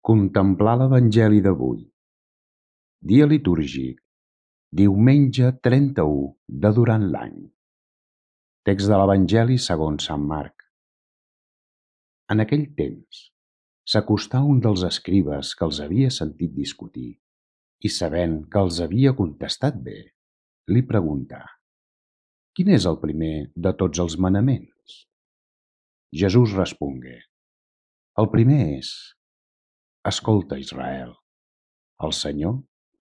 Contemplar l'Evangeli d'avui. Dia litúrgic. Diumenge 31 de durant l'any. Text de l'Evangeli segons Sant Marc. En aquell temps s'acostà un dels escribes que els havia sentit discutir i, sabent que els havia contestat bé, li preguntà: «Quin és el primer de tots els manaments?» Jesús respongué: «El primer és: Escolta, Israel, el Senyor,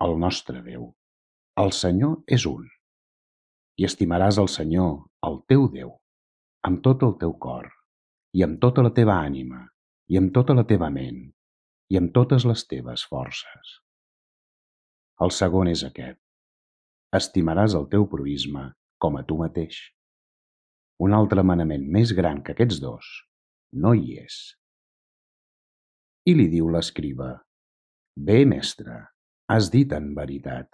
el nostre Déu, el Senyor és un, i estimaràs el Senyor, el teu Déu, amb tot el teu cor, i amb tota la teva ànima, i amb tota la teva ment, i amb totes les teves forces. El segon és aquest: estimaràs el teu proïsme com a tu mateix. Un altre manament més gran que aquests dos no hi és». I li diu l'escriba: «Bé, mestre, has dit en veritat.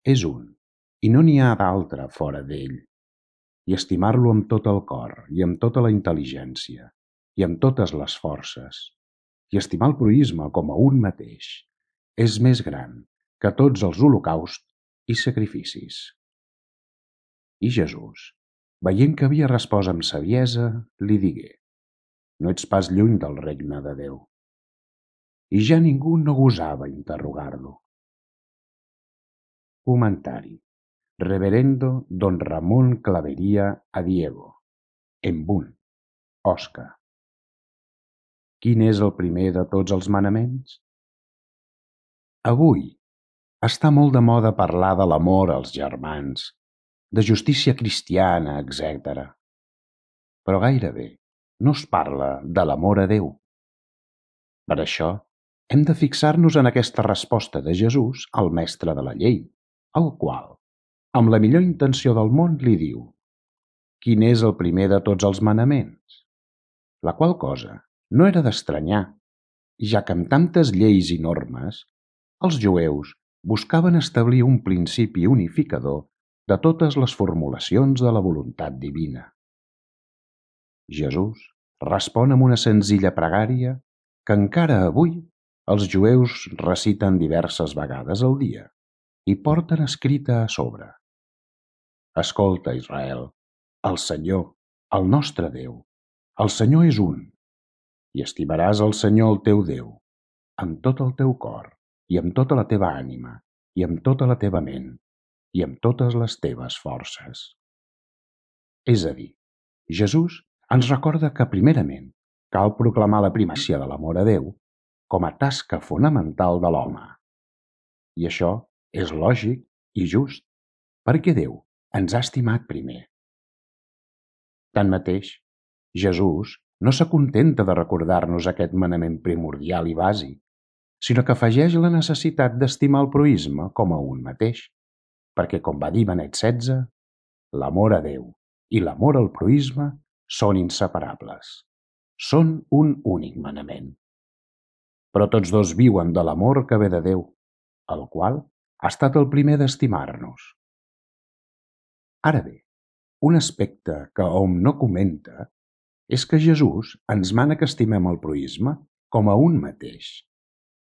És un, i no n'hi ha d'altre fora d'ell. I estimar-lo amb tot el cor, i amb tota la intel·ligència, i amb totes les forces, i estimar el proïsme com a un mateix, és més gran que tots els holocausts i sacrificis». I Jesús, veient que havia respost amb saviesa, li digué: «No ets pas lluny del regne de Déu». I ja ningú no gosava interrogar-lo. Comentari. Reverendo Don Ramón Clavería a Diego. Embún. Osca. Quin és el primer de tots els manaments? Avui està molt de moda parlar de l'amor als germans, de justícia cristiana, etc. Però gairebé no es parla de l'amor a Déu. Per això hem de fixar-nos en aquesta resposta de Jesús al mestre de la llei, el qual, amb la millor intenció del món, li diu: «Quin és el primer de tots els manaments?» La qual cosa no era d'estranyar, ja que amb tantes lleis i normes, els jueus buscaven establir un principi unificador de totes les formulacions de la voluntat divina. Jesús respon amb una senzilla pregària que encara avui els jueus reciten diverses vegades al dia i porten escrita a sobre: «Escolta, Israel, el Senyor, el nostre Déu, el Senyor és un, i estimaràs el Senyor el teu Déu amb tot el teu cor, i amb tota la teva ànima, i amb tota la teva ment, i amb totes les teves forces». És a dir, Jesús ens recorda que primerament cal proclamar la primàcia de l'amor a Déu com a tasca fonamental de l'home. I això és lògic i just, perquè Déu ens ha estimat primer. Tanmateix, Jesús no s'acontenta de recordar-nos aquest manament primordial i bàsic, sinó que afegeix la necessitat d'estimar el proïsme com a un mateix, perquè, com va dir Benet XVI, l'amor a Déu i l'amor al proïsme són inseparables. Són un únic manament. Però tots dos viuen de l'amor que ve de Déu, el qual ha estat el primer d'estimar-nos. Ara bé, un aspecte que hom no comenta és que Jesús ens mana que estimem el proïsme com a un mateix,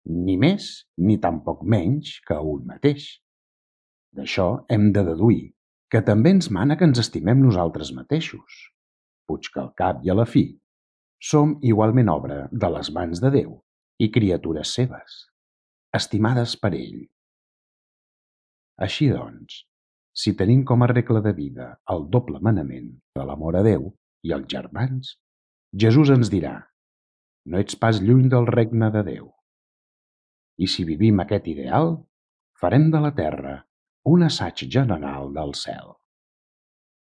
ni més ni tampoc menys que un mateix. D'això hem de deduir que també ens mana que ens estimem nosaltres mateixos, puix que al cap i a la fi som igualment obra de les mans de Déu i criatures seves, estimades per ell. Així doncs, si tenim com a regla de vida el doble manament de l'amor a Déu i als germans, Jesús ens dirà: «No ets pas lluny del regne de Déu». I si vivim aquest ideal, farem de la terra un assaig general del cel.